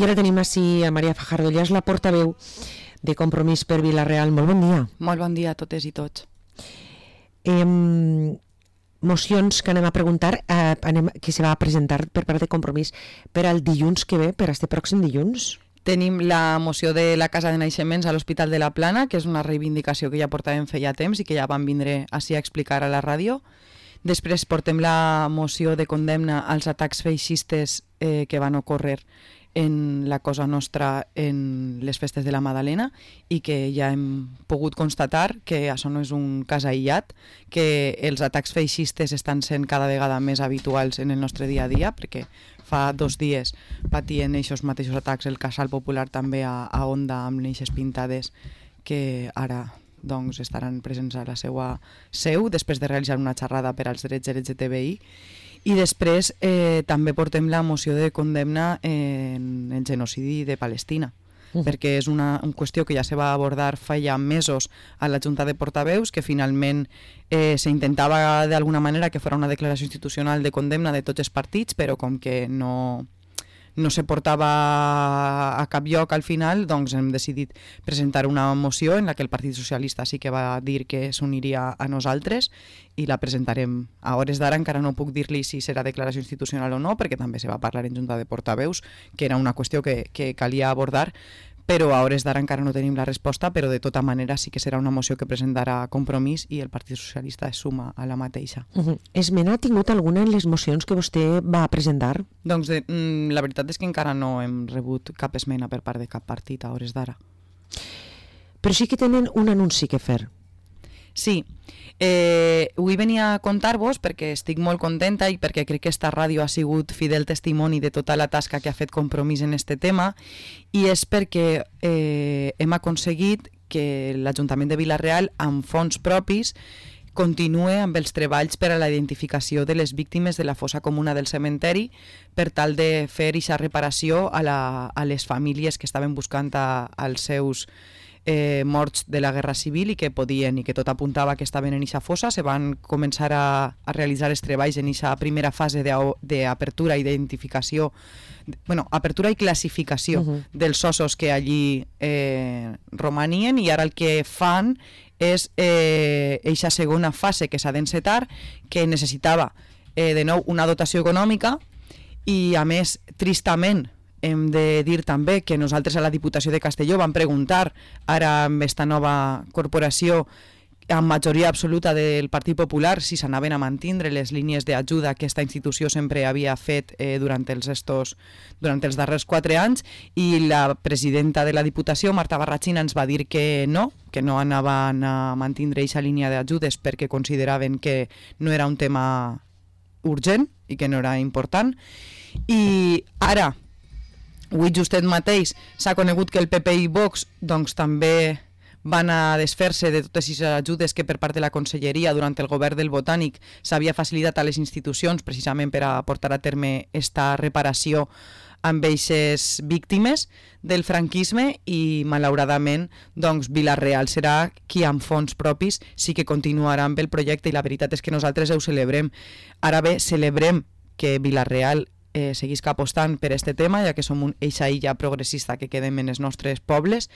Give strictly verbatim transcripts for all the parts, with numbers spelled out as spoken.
I ara tenim així a Maria Fajardo, ella és la portaveu de Compromís per Vila-real. Molt bon dia. Molt bon dia a totes i tots. Eh, mocions que anem a preguntar, eh, anem, que se va a presentar per part de Compromís per al dilluns que ve, per este pròxim dilluns. Tenim la moció de la Casa de Naixements a l'Hospital de la Plana, que és una reivindicació que ja portàvem feia temps i que ja van vindre així a explicar a la ràdio. Després portem la moció de condemna als atacs feixistes eh, que van ocórrer en la Cosa Nostra en les festes de la Madalena i que ja hem pogut constatar que això no és un cas aïllat, que els atacs feixistes estan sent cada vegada més habituals en el nostre dia a dia, perquè fa dos dies patien aquests mateixos atacs el Casal Popular també a, a Onda amb eixes pintades que ara doncs, estaran presents a la seva seu després de realitzar una xerrada per als drets L G T B I. I després eh, també portem la moció de condemna en el genocidi de Palestina, uh. perquè és una, una qüestió que ja se va abordar fa ja mesos a la Junta de Portaveus, que finalment eh, s'intentava d'alguna manera que fos una declaració institucional de condemna de tots els partits, però com que no... no se portava a cap lloc al final, doncs hem decidit presentar una moció en la que el Partit Socialista sí que va dir que s'uniria a nosaltres i la presentarem. A hores d'ara encara no puc dir-li si serà declaració institucional o no, perquè també se va parlar en Junta de Portaveus, que era una qüestió que, que calia abordar, però a hores d'ara encara no tenim la resposta, però de tota manera sí que serà una moció que presentarà Compromís i el Partit Socialista es suma a la mateixa. Uh-huh. Esmena ha tingut alguna en les mocions que vostè va presentar? Doncs de, mm, la veritat és que encara no hem rebut cap esmena per part de cap partit a hores d'ara. Però sí que tenen un anunci que fer. Sí, eh, avui venia a contar-vos perquè estic molt contenta i perquè crec que esta ràdio ha sigut fidel testimoni de tota la tasca que ha fet Compromís en este tema, i és perquè eh, hem aconseguit que l'Ajuntament de Vila-real amb fons propis continue amb els treballs per a la identificació de les víctimes de la fossa comuna del cementeri per tal de fer aquesta reparació a, la, a les famílies que estaven buscant a, als seus Eh, morts de la Guerra Civil i que podien i que tot apuntava que estaven en eixa fossa. Se van començar a, a realitzar els treballs en eixa primera fase d'apertura i d'identificació, bueno, apertura i classificació uh-huh. dels ossos que allí eh, romanien, i ara el que fan és eh, eixa segona fase que s'ha d'encetar, que necessitava eh, de nou una dotació econòmica i a més, tristament, hem de dir també que nosaltres a la Diputació de Castelló vam preguntar ara amb esta nova corporació amb majoria absoluta del Partit Popular si s'anaven a mantindre les línies d'ajuda que aquesta institució sempre havia fet eh, durant, els estos, durant els darrers quatre anys, i la presidenta de la Diputació, Marta Barrachina, ens va dir que no, que no anaven a mantindre aquesta línia d'ajudes perquè consideraven que no era un tema urgent i que no era important. I ara, avui justet mateix s'ha conegut que el P P i Vox doncs, també van a desfer-se de totes les ajudes que per part de la Conselleria durant el govern del Botànic s'havia facilitat a les institucions precisament per a portar a terme esta reparació amb aquestes víctimes del franquisme, i malauradament doncs, Vila-real serà qui amb fons propis sí que continuarà amb el projecte, i la veritat és que nosaltres ho celebrem. Ara bé, celebrem que Vila-real Eh, seguisca apostant per este tema, ja que som un eixa illa progressista que quedem en els nostres pobles,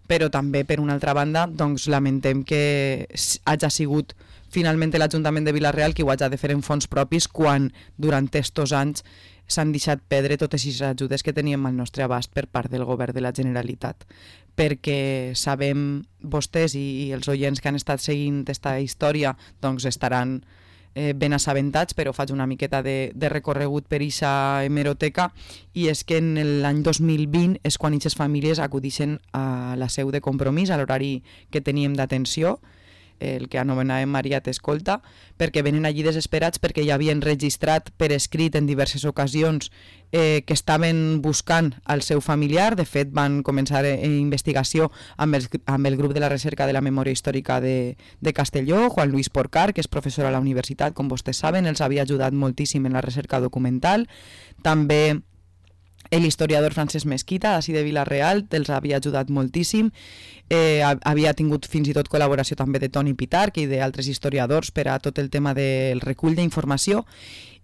però també, per una altra banda, doncs, lamentem que hagi sigut finalment l'Ajuntament de Vila-real qui ho hagi de fer en fons propis quan durant estos anys s'han deixat perdre totes les ajudes que teníem al nostre abast per part del govern de la Generalitat. Perquè sabem, vostès i, i els oients que han estat seguint aquesta història doncs estaran Eh, ben assabentats, però faig una miqueta de, de recorregut per aquesta hemeroteca, i és que en l'any dos mil vint és quan aquestes famílies acudixen a la seu de Compromís, a l'horari que teníem d'atenció, el que anomenàvem Maria t'escolta, perquè venen allí desesperats perquè ja havien registrat per escrit en diverses ocasions eh, que estaven buscant al seu familiar. De fet, van començar en investigació amb el, amb el grup de la recerca de la memòria històrica de, de Castelló, Juan Luis Porcar, que és professor a la universitat, com vostès saben, els havia ajudat moltíssim en la recerca documental. També l'historiador Francesc Mesquita, d'ací de Vila-real, els havia ajudat moltíssim. Eh, havia tingut fins i tot col·laboració també de Toni Pitarch i d'altres historiadors per a tot el tema del recull d'informació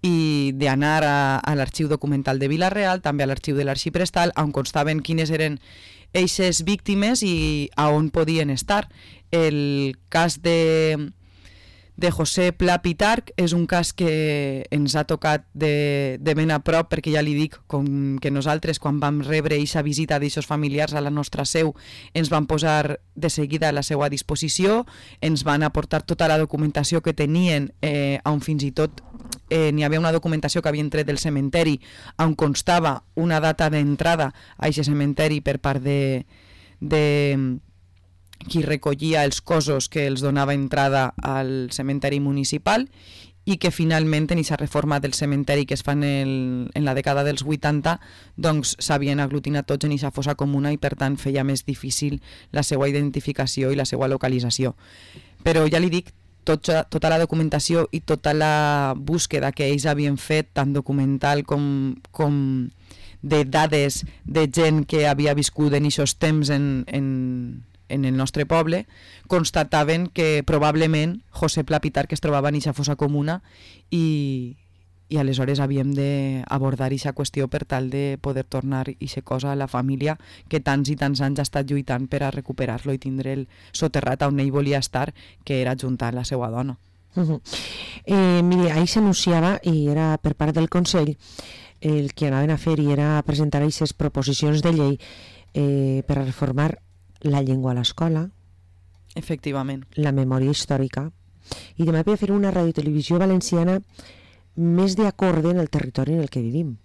i d'anar a, a l'arxiu documental de Vila-real, també a l'arxiu de l'Arxiprestal, on constaven quines eren eixes víctimes i a on podien estar. El cas de... de José Pla Pitarch és un cas que ens ha tocat de, de ben a prop, perquè ja li dic com que nosaltres quan vam rebre aquesta visita d'aixos familiars a la nostra seu ens van posar de seguida a la seva disposició, ens van aportar tota la documentació que tenien, eh, on fins i tot eh, n'hi havia una documentació que havien tret del cementeri on constava una data d'entrada a aquest cementeri per part de... de qui recollia els cossos que els donava entrada al cementeri municipal i que finalment en aquesta reforma del cementeri que es fa en, el, en la dècada dels vuitanta doncs s'havien aglutinat tots en aquesta fossa comuna i per tant feia més difícil la seva identificació i la seva localització. Però ja li dic, tot, tota la documentació i tota la búsqueda que ells havien fet, tant documental com, com de dades de gent que havia viscut en aquests temps en, en en el nostre poble, constataven que probablement José Pla Pitarch es trobava en aquesta fossa comuna i, i aleshores havíem d'abordar aquesta qüestió per tal de poder tornar aquesta cosa a la família que tants i tants anys ha estat lluitant per a recuperar-lo i tindre'l soterrat on ell volia estar, que era juntar la seva dona. Uh-huh. eh, miri, ahir s'anunciava, i era per part del Consell, el que anaven a fer i era presentar aquestes proposicions de llei eh, per a reformar la llengua a l'escola, efectivament, la memòria històrica, i també per fer una radiotelevisió valenciana més d'acord en el territori en el que vivim.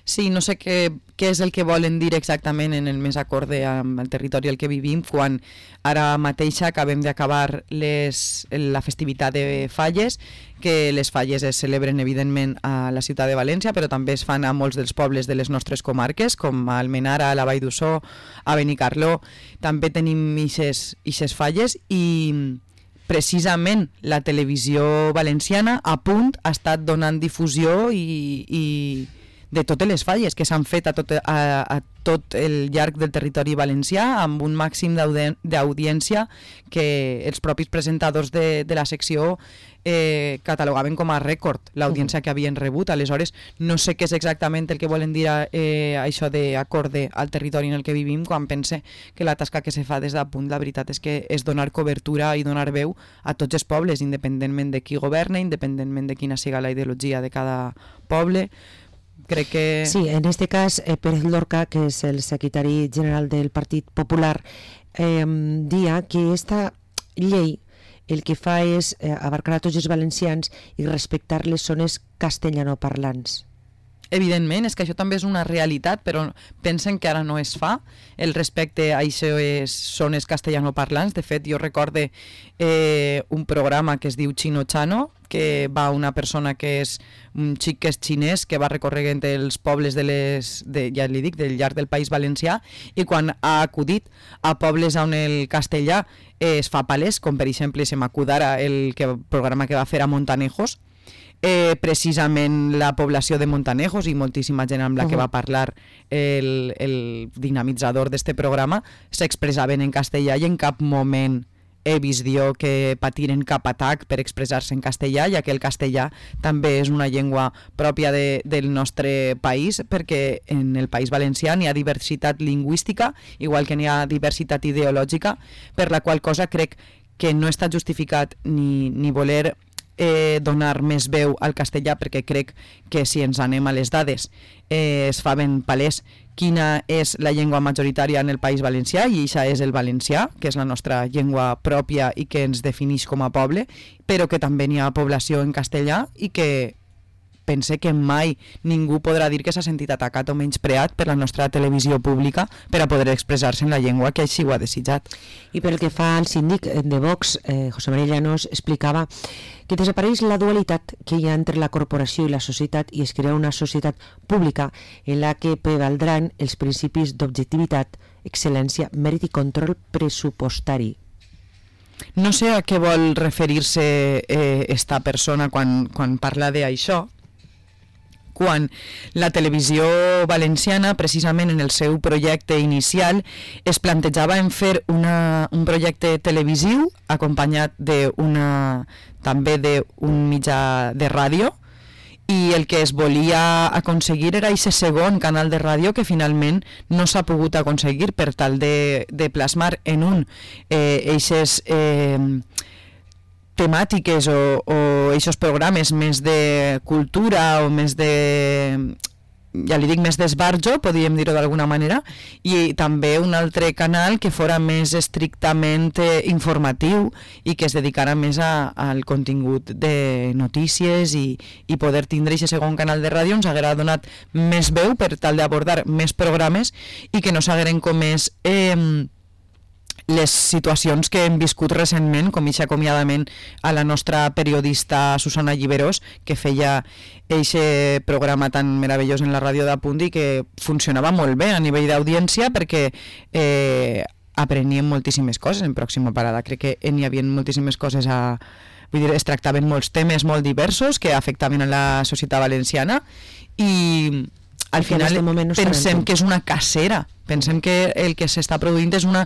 Sí, no sé què, què és el que volen dir exactament en el més acorde amb el territori al que vivim, quan ara mateix acabem d'acabar les, la festivitat de Falles, que les Falles es celebren evidentment a la ciutat de València, però també es fan a molts dels pobles de les nostres comarques, com a Almenara, a la Vall d'Ussó, a Benicarló. També tenim ixes Falles i precisament la televisió valenciana a punt ha estat donant difusió i... i de totes les falles que s'han fet a tot, a, a tot el llarg del territori valencià, amb un màxim d'audiència que els propis presentadors de, de la secció eh, catalogaven com a rècord l'audiència que havien rebut. Aleshores, no sé què és exactament el que volen dir eh, això d'acorde al territori en el que vivim, quan pense que la tasca que se fa des de punt, la veritat és que és donar cobertura i donar veu a tots els pobles, independentment de qui governa, independentment de quina siga la ideologia de cada poble. Crec que... Sí, en este cas, eh, Pérez Lorca, que és el secretari general del Partit Popular, eh, dia que esta llei el que fa és eh, abarcar a tots els valencians i respectar les zones castellanoparlants. Evidentment, és que això també és una realitat, però pensen que ara no es fa. El respecte a aquestes zones castellanoparlants. De fet, jo recorde eh, un programa que es diu Chino Chano, que va una persona que és un xic que és xinès, que va recorregant els pobles de les, de, ja li dic, del llarg del País Valencià, i quan ha acudit a pobles on el castellà eh, es fa palès, com per exemple se m'acudara el que, programa que va fer a Montanejos, Eh, precisament la població de Montanejos i moltíssima gent amb la que va parlar el, el dinamitzador d'este programa s'expressaven en castellà i en cap moment he vist jo que patiren cap atac per expressar-se en castellà, ja que el castellà també és una llengua pròpia de, del nostre país, perquè en el País Valencià n'hi ha diversitat lingüística, igual que n'hi ha diversitat ideològica, per la qual cosa crec que no està justificat ni, ni voler Eh, donar més veu al castellà, perquè crec que si ens anem a les dades eh, es fa ben palès quina és la llengua majoritària en el País Valencià, i això és el valencià, que és la nostra llengua pròpia i que ens defineix com a poble, però que també n'hi ha població en castellà i que pense que mai ningú podrà dir que s'ha sentit atacat o menyspreat per la nostra televisió pública per a poder expressar-se en la llengua que així ho ha desitjat. I pel que fa al síndic de Vox, eh, José María Llanos, explicava que desapareix la dualitat que hi ha entre la corporació i la societat i es crea una societat pública en la que prevaldran els principis d'objectivitat, excel·lència, mèrit i control pressupostari. No sé a què vol referir-se eh, esta persona quan, quan parla d'això, quan la televisió valenciana, precisament en el seu projecte inicial, es plantejava en fer una, un projecte televisiu acompanyat d'una, també d'un mitjà de ràdio, i el que es volia aconseguir era aquest segon canal de ràdio que finalment no s'ha pogut aconseguir per tal de, de plasmar en un eh, eixes eh, temàtiques o, o eixos programes més de cultura o més de, ja li dic, més d'esbarjo, podríem dir-ho d'alguna manera, i també un altre canal que fora més estrictament eh, informatiu i que es dedicara més a, al contingut de notícies i, i poder tindre aquest segon canal de ràdio ens haguera donat més veu per tal d'abordar més programes i que no s'hagueren comès eh, les situacions que hem viscut recentment, com aquest acomiadament a la nostra periodista Susana Lliberós, que feia aquest programa tan meravellós en la ràdio d'Apunt i que funcionava molt bé a nivell d'audiència perquè eh, apreníem moltíssimes coses en Pròxima Parada. Crec que n'hi havia moltíssimes coses a... Vull dir, es tractaven molts temes molt diversos que afectaven a la societat valenciana i al final no pensem que és una cacera. Pensem que el que s'està produint és una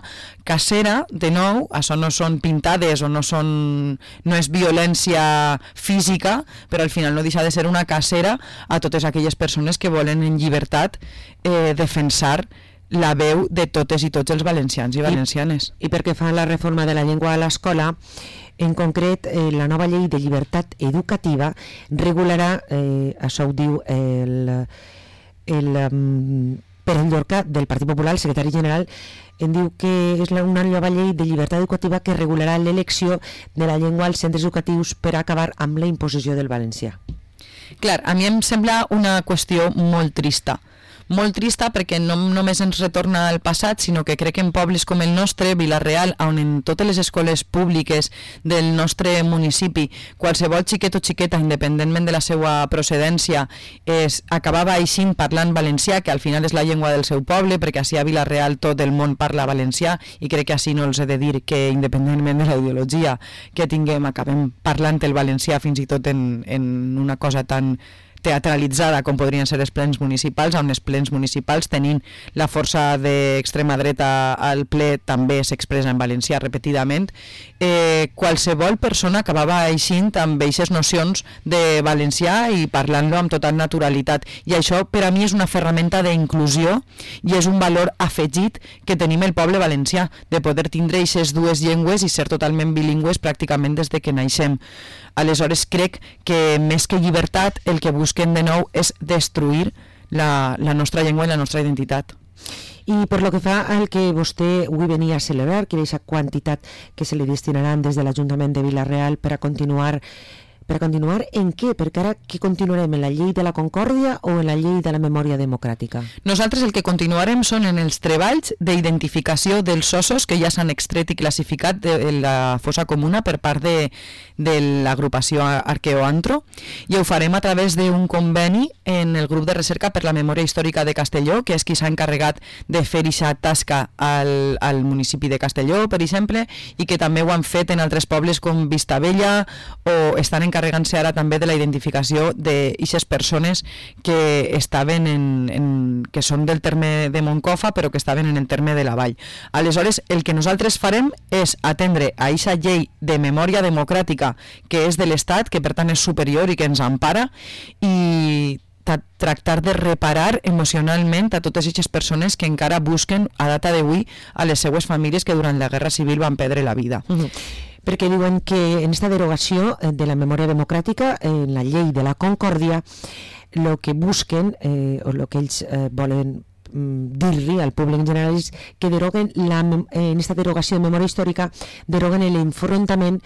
cacera, de nou, això no són pintades o no són no és violència física, però al final no deixa de ser una cacera a totes aquelles persones que volen en llibertat eh, defensar la veu de totes i tots els valencians i valencianes. I, i perquè fa la reforma de la llengua a l'escola, en concret, eh, la nova llei de llibertat educativa regularà, eh, això ho diu el... el um, Pere Llorca, del Partit Popular, el secretari general, en diu que és una nova llei de llibertat educativa que regularà l'elecció de la llengua als centres educatius per acabar amb la imposició del valencià. Clar, a mi em sembla una qüestió molt trista. Molt trista perquè no només ens retorna al passat, sinó que crec que en pobles com el nostre, Vila-real, on en totes les escoles públiques del nostre municipi, qualsevol xiquet o xiqueta, independentment de la seva procedència, es acabava aixint parlant valencià, que al final és la llengua del seu poble, perquè així a Vila-real tot el món parla valencià, i crec que així no els he de dir que, independentment de la ideologia que tinguem, acabem parlant el valencià fins i tot en, en una cosa tan teatralitzada com podrien ser els plens municipals, on els plens municipals tenint la força d'extrema dreta al ple també s'expressa en valencià repetidament, eh, qualsevol persona acabava eixint amb aquestes nocions de valencià i parlant-lo amb total naturalitat, i això per a mi és una ferramenta d'inclusió i és un valor afegit que tenim el poble valencià, de poder tindre aquestes dues llengües i ser totalment bilingües pràcticament des de que naixem. Aleshores crec que més que llibertat el que busquen de nou és destruir la, la nostra llengua i la nostra identitat. I per lo que fa al que vostè avui venia a celebrar, que és la quantitat que se li destinaran des de l'Ajuntament de Vila-real per a continuar Per a continuar, en què? Perquè ara què continuarem? En la llei de la concòrdia o en la llei de la memòria democràtica? Nosaltres el que continuarem són en els treballs d'identificació dels ossos que ja s'han extret i classificat de la fossa comuna per part de, de l'agrupació Arqueoantro, i ho farem a través d'un conveni en el grup de recerca per la memòria històrica de Castelló, que és qui s'ha encarregat de fer aquesta tasca al, al municipi de Castelló, per exemple, i que també ho han fet en altres pobles com Vistabella, o estan encarregats encarregant-se ara també de la identificació d'aquestes persones que estaven en, en, que són del terme de Moncofa però que estaven en el terme de la Vall. Aleshores, el que nosaltres farem és atendre a aquesta llei de memòria democràtica que és de l'Estat, que per tant és superior i que ens empara, i tractar de reparar emocionalment a totes aquestes persones que encara busquen a data d'avui a les seues famílies que durant la Guerra Civil van perdre la vida. Uh-huh. Perquè diuen que en esta derogació de la memòria democràtica, en la llei de la concòrdia, el que busquen, eh, o el que ells eh, volen dir-li al públic en general és que deroguen la, en aquesta derogació de memòria històrica deroguen l'enfrontament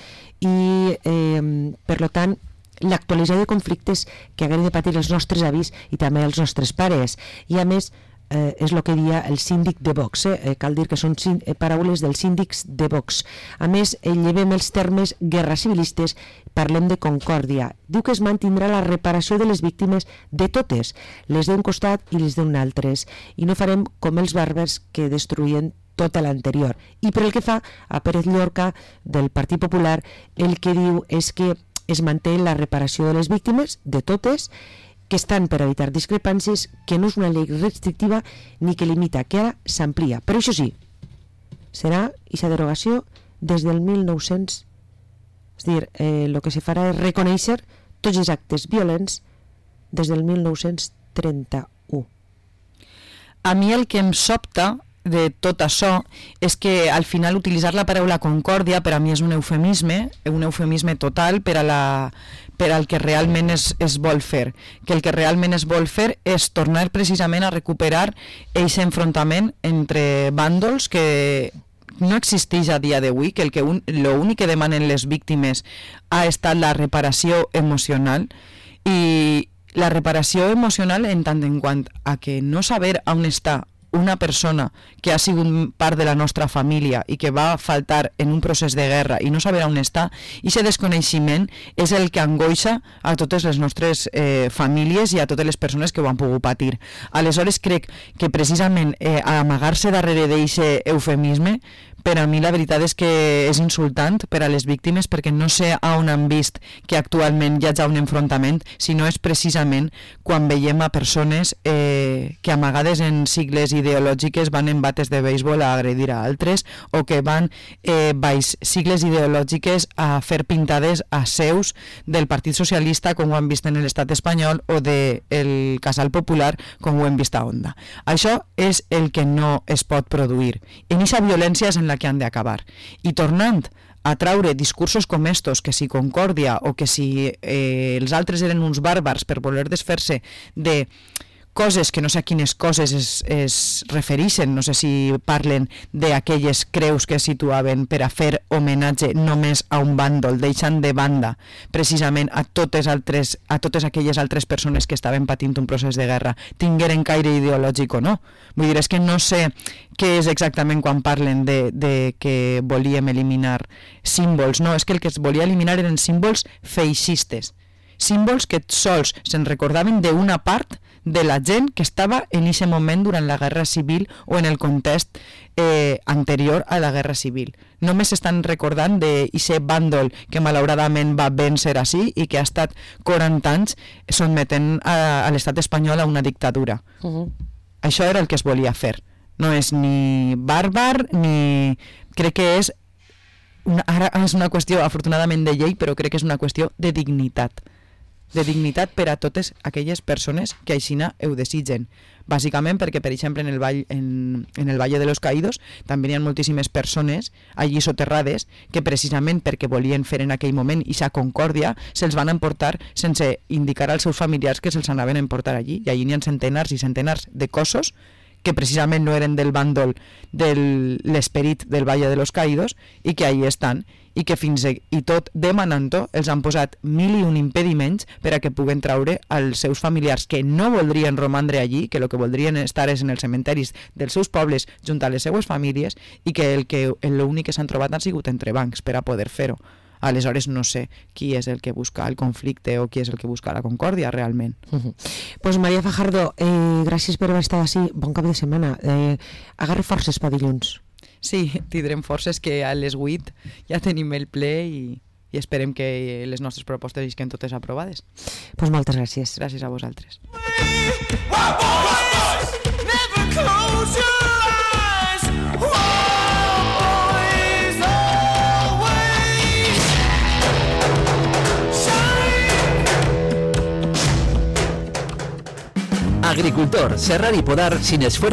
i eh, per tant l'actualització de conflictes que haguem de patir els nostres avis i també els nostres pares, i a més eh, és el que dia el síndic de Vox, eh? cal dir que són eh, paraules dels síndics de Vox. A més, eh, llevem els termes guerra civilistes, parlem de concòrdia. Diu que es mantindrà la reparació de les víctimes de totes, les d'un costat i les d'un altres, i no farem com els bàrbars que destruïen tota l'anterior. I per el que fa a Pérez Llorca del Partit Popular, el que diu és que es manté la reparació de les víctimes, de totes, que estan per evitar discrepàncies, que no és una llei restrictiva ni que limita, que ara s'amplia. Però això sí, serà aquesta derogació des del mil nou-cents. És a dir, eh, el que se farà és reconèixer tots els actes violents des del mil nou-cents trenta-u. A mi el que em sobta de tot això és que al final utilitzar la paraula concòrdia per a mi és un eufemisme, un eufemisme total per a la, per al que realment es, es vol fer, que el que realment es vol fer és tornar precisament a recuperar aquest enfrontament entre bàndols que no existeix a dia d'avui, que el que un, lo únic que demanen les víctimes ha estat la reparació emocional, i la reparació emocional en tant en quant a que no saber on està una persona que ha sigut part de la nostra família i que va faltar en un procés de guerra i no saber on està, i aquest desconeixement és el que angoixa a totes les nostres eh, famílies i a totes les persones que ho han pogut patir. Aleshores crec que precisament eh, amagar-se darrere d'aquest eufemisme, per a mi la veritat és que és insultant per a les víctimes, perquè no sé on han vist que actualment hi ha un enfrontament, sinó és precisament quan veiem a persones eh, que amagades en sigles ideològiques van en bates de béisbol a agredir a altres, o que van eh, baix sigles ideològiques a fer pintades a seus del Partit Socialista, com ho han vist en l'estat espanyol, o del de Casal Popular, com ho hem vist a Onda. Això és el que no es pot produir. En aquesta violència és en la que han d'acabar. I tornant a traure discursos com estos, que si concòrdia o que si eh, els altres eren uns bàrbars per voler desfer-se de coses que no sé a quines coses es, es refereixen, no sé si parlen d'aquelles creus que situaven per a fer homenatge només a un bàndol, deixant de banda precisament a totes, altres, a totes aquelles altres persones que estaven patint un procés de guerra, tingueren caire ideològic o no. Vull dir, és que no sé què és exactament quan parlen de, de que volíem eliminar símbols. No, és que el que es volia eliminar eren símbols feixistes, símbols que sols se'n recordaven d'una part de la gent que estava en aquest moment durant la Guerra Civil o en el context eh, anterior a la Guerra Civil. Només s'estan recordant d'aquest bàndol que malauradament va vèncer així i que ha estat quaranta anys sotmetent a, a l'estat espanyol a una dictadura. Uh-huh. Això era el que es volia fer. No és ni bàrbar, ni... Crec que és... Una, ara és una qüestió, afortunadament, de llei, però crec que és una qüestió de dignitat. de dignitat per a totes aquelles persones que aixina ho desitgen. Bàsicament perquè, per exemple, en el, vall, en, en el Valle de los Caídos també hi ha moltíssimes persones allí soterrades que precisament perquè volien fer en aquell moment i sa concòrdia se'ls van emportar sense indicar als seus familiars que se'ls anaven a emportar allí, i allí n'hi ha centenars i centenars de cossos que precisament no eren del bàndol de l'esperit del Valle de los Caídos i que allí estan, i que fins i tot demanant-ho els han posat mil i un impediments per a que puguen traure als seus familiars que no voldrien romandre allí, que el que voldrien estar és en els cementeris dels seus pobles junt a les seues famílies, i que el que l'únic que s'han trobat han sigut entrebancs per a poder fer-ho. Aleshores no sé qui és el que busca el conflicte o qui és el que busca la concòrdia realment. Uh-huh. Pues Maria Fajardo, eh, gràcies per haver estat així, bon cap de setmana. Eh, agarre forces pa dilluns. Sí, tindrem forces, que a les vuit ja tenim el ple i, i esperem que les nostres propostes isquen totes aprovades. Pues moltes gràcies. Gràcies a vosaltres. Agricultor, serrar y podar sin esfuerzo